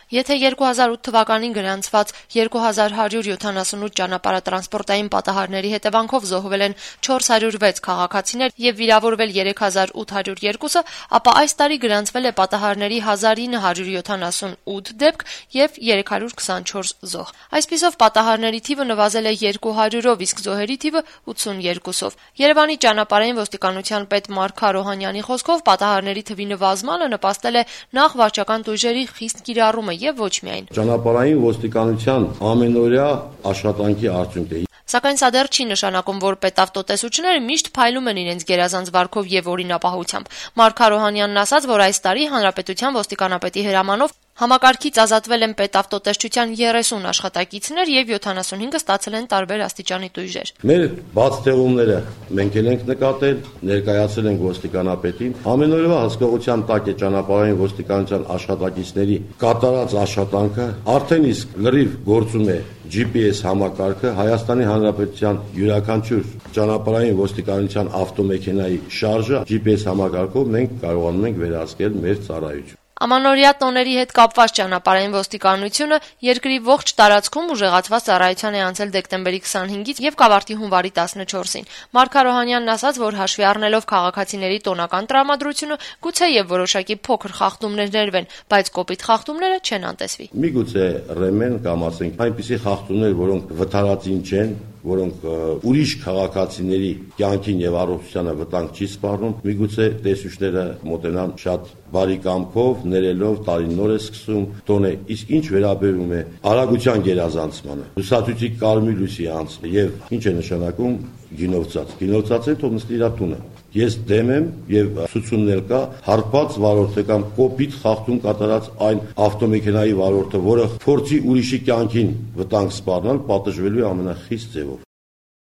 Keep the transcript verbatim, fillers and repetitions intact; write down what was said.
Եթե երկու հազար ութ թվականին գրանցված երկու հազար հարյուր յոթանասունութ ճանապարհատրանսպորտային պատահարների հետևանքով զոհվել են չորս հարյուր վեց քաղաքացիներ եւ վիրավորվել երեք հազար ութ հարյուր երկուսը, ապա այս տարի գրանցվել է պատահարների հազար ինը հարյուր յոթանասունութ դեպք եւ երեք հարյուր քսանչորս զոհ։ Այսպիսով պատահարների թիվը նվազել է երկու հարյուրով, իսկ զոհերի թիվը ութսուներկուսով։ Երևանի ճանապարհային ոստիկանության պետ Մարկ Արոհանյանի խոսքով պատահարների թվի նվազմանը նպաստել է նախ վարչական տույժերի խիստ կիրառումը եւ ոչ միայն։ Ճանապարհային ոստիկանության ամենօրյա աշխատանքի արդյունք է։ Սակայն սա դեռ չի նշանակում, որ պետավտոտեսուչները միշտ փայլում են իրենց գերազանց վարքով եւ օրինապահությամբ։ Մարկ Արոհանյանն ասաց, որ այս տարի հանրապետության ոստիկանապետի հրամանով համակարգից ազատվել են պետավտոտեսչության երեսուն աշխատակիցներ եւ յոթանասունհինգը ստացել են տարբեր աստիճանի տույժեր։ Մեր բացթեղումները մենք էլ ենք նկատել, ներկայացել ենք ոստիկանապետին։ Ամենօրյա հսկողության տակ է ճանապարհային ոստիկանության աշխատակիցների կատարած աշխատանքը, արդեն իսկ լրիվ գործում է G P S համակարգը, Հայաստանի Հանրապետության յուրաքանչյուր ճանապարհային ոստիկանության ավտոմեքենայի շարժը G P S համակարգով մենք կարողանում ենք վերահսկել մեր ծառայությունը։ Ամանորյա տոների հետ կապված ճանապարհային ոստիկանությունը երկրի ողջ տարածքում ուժեղացված ծառայության է անցել դեկտեմբերի քսանհինգից եւ կավարտի հունվարի տասնչորսին։ Մարկ Արոհանյանն ասաց, որ հաշվի առնելով քաղաքացիների տոնական տրամադրությունը, գուցե եւ որոշակի փոքր խախտումներ ներվեն, բայց կոպիտ խախտումները չեն անտեսվի։ Միգուցե ռեմեն կամ ասենք այնպիսի խախտումներ, որոնք վթարածին չեն, որոնք ուրիշ քաղաքացիների կյանքին եւ առողջությանը վտանգ չի սպառնում, միգուցե տեսուչները մոտենան շատ բարի կամքով, ներելով տարին նոր է սկսում տոնը, իսկ ինչ վերաբերում է արագության գերազանցմանը, լուսացույցի կարմիր լույսի անցը եւ ինչ է նշանակում գինովցած։ Գինովցածը թող նստի իր տունը։ Ես դեմ եմ եւ ցուցումներ կա հարբած վարորդը կամ կոպիտ խախտում կատարած այն ավտոմեքենայի վարորդը, որը փորձի ուրիշի կյանքին վտանգ սպառնալ, պատժվելու է ամենախիստ ձևով։